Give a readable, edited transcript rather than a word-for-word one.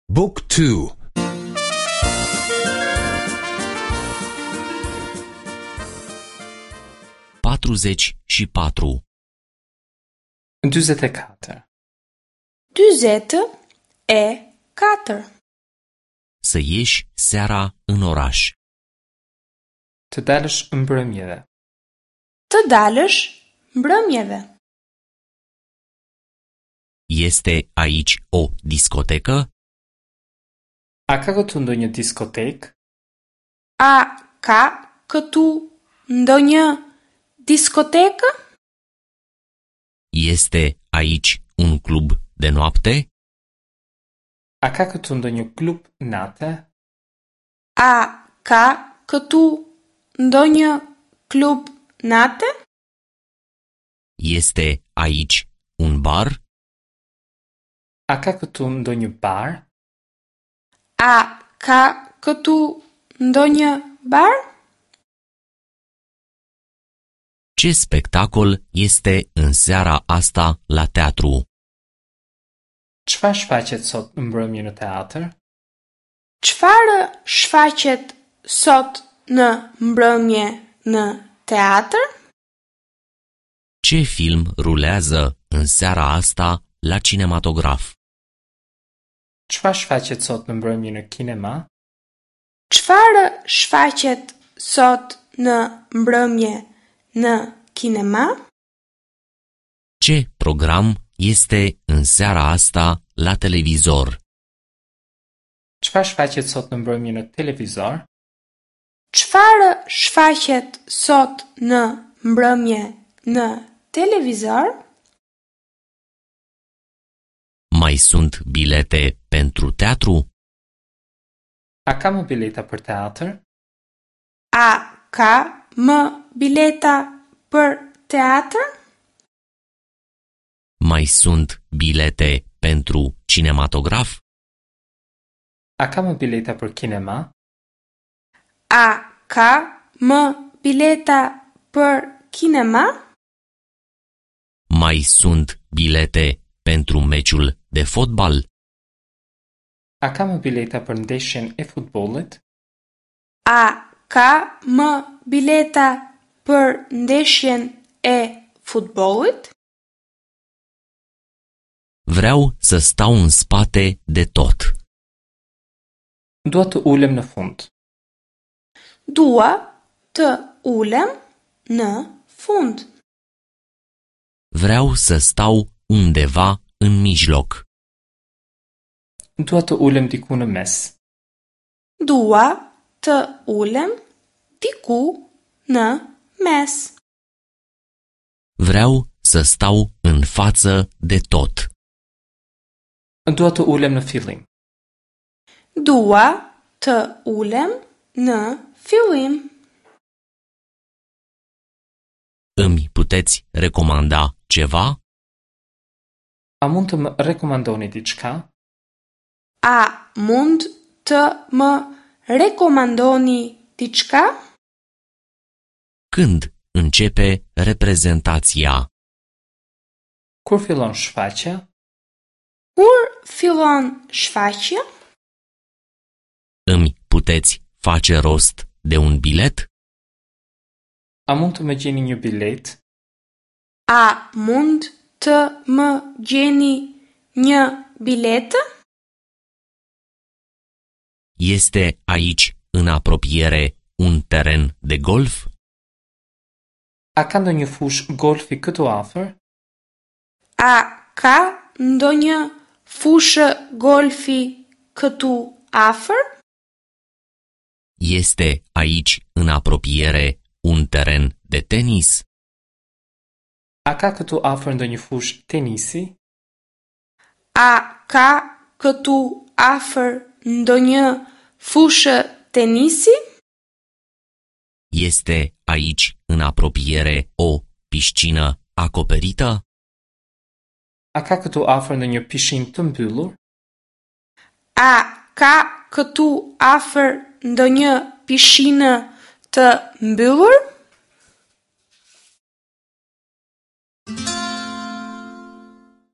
Book 2 44. 44. 44. Să ieși seara în oraș. Të dalësh mbrëmjeve. Të dalësh mbrëmjeve. Este aici o discotecă? A ka këtu ndonjë diskotekë? A ka këtu ndonjë diskotekë? Este aici un club de noapte? A ka këtu ndonjë klub nate? A ka këtu ndonjë klub nate? Este aici un bar? A ka këtu ndonjë bar? A ka këtu ndonjë bar? Ce spectacol este în seara asta la teatru? Çfarë shfaqet sot në mbrëmje në teatr? Çfarë shfaqet sot në mbrëmje në teatr? Ce film rulează în seara asta la cinematograf? Çfarë shfaqet sot në mbrëmje në kinema? Çfarë shfaqet sot në mbrëmje në kinema? Ce program este în seara asta la televizor? Çfarë shfaqet sot në mbrëmje në televizor? Çfarë shfaqet sot në mbrëmje në televizor? Mai sunt bilete pentru teatru? A ka më bileta për teatr? A ka më bileta për teatr? Mai sunt bilete pentru cinematograf? A ka më bileta për kinema? A ka më bileta për kinema? Mai sunt bilete pentru meciul de fotbal? A ka më bileta për ndeshjen e futbollit? A ka më bileta për ndeshjen e futbollit? Vreau să stau în spate de tot. Dua të ulem në fund. Dua të ulem në fund. Vreau să stau undeva în mijloc. Dua të ulem diku në mes. Dua të ulem diku në mes. Vreau să stau în față de tot. Dua të ulem në fillim. Dua të ulem në fillim. Îmi puteți recomanda ceva? A mund të më rekomandoni diçka? A mund të më rekomandoni diçka? Când începe reprezentația? Kur fillon shfaqja? Kur fillon shfaqja? Îmi puteți face rost de un bilet? A mund të më gjeni një biletë? A mund të më gjeni një biletë? Este aici în apropiere un teren de golf? A ka ndonjë fushë golfi këtu afër? A ka ndonjë fushë golfi këtu afër? Este aici în apropiere un teren de tenis? A ka këtu afër ndonjë fushë tenisi? A ka këtu afër ndonjë fushë tenisi? Este aici în apropiere o piscină acoperită? A ka këtu afër ndonjë pishinë të mbyllur? A ka këtu afër ndonjë pishinë të mbyllur?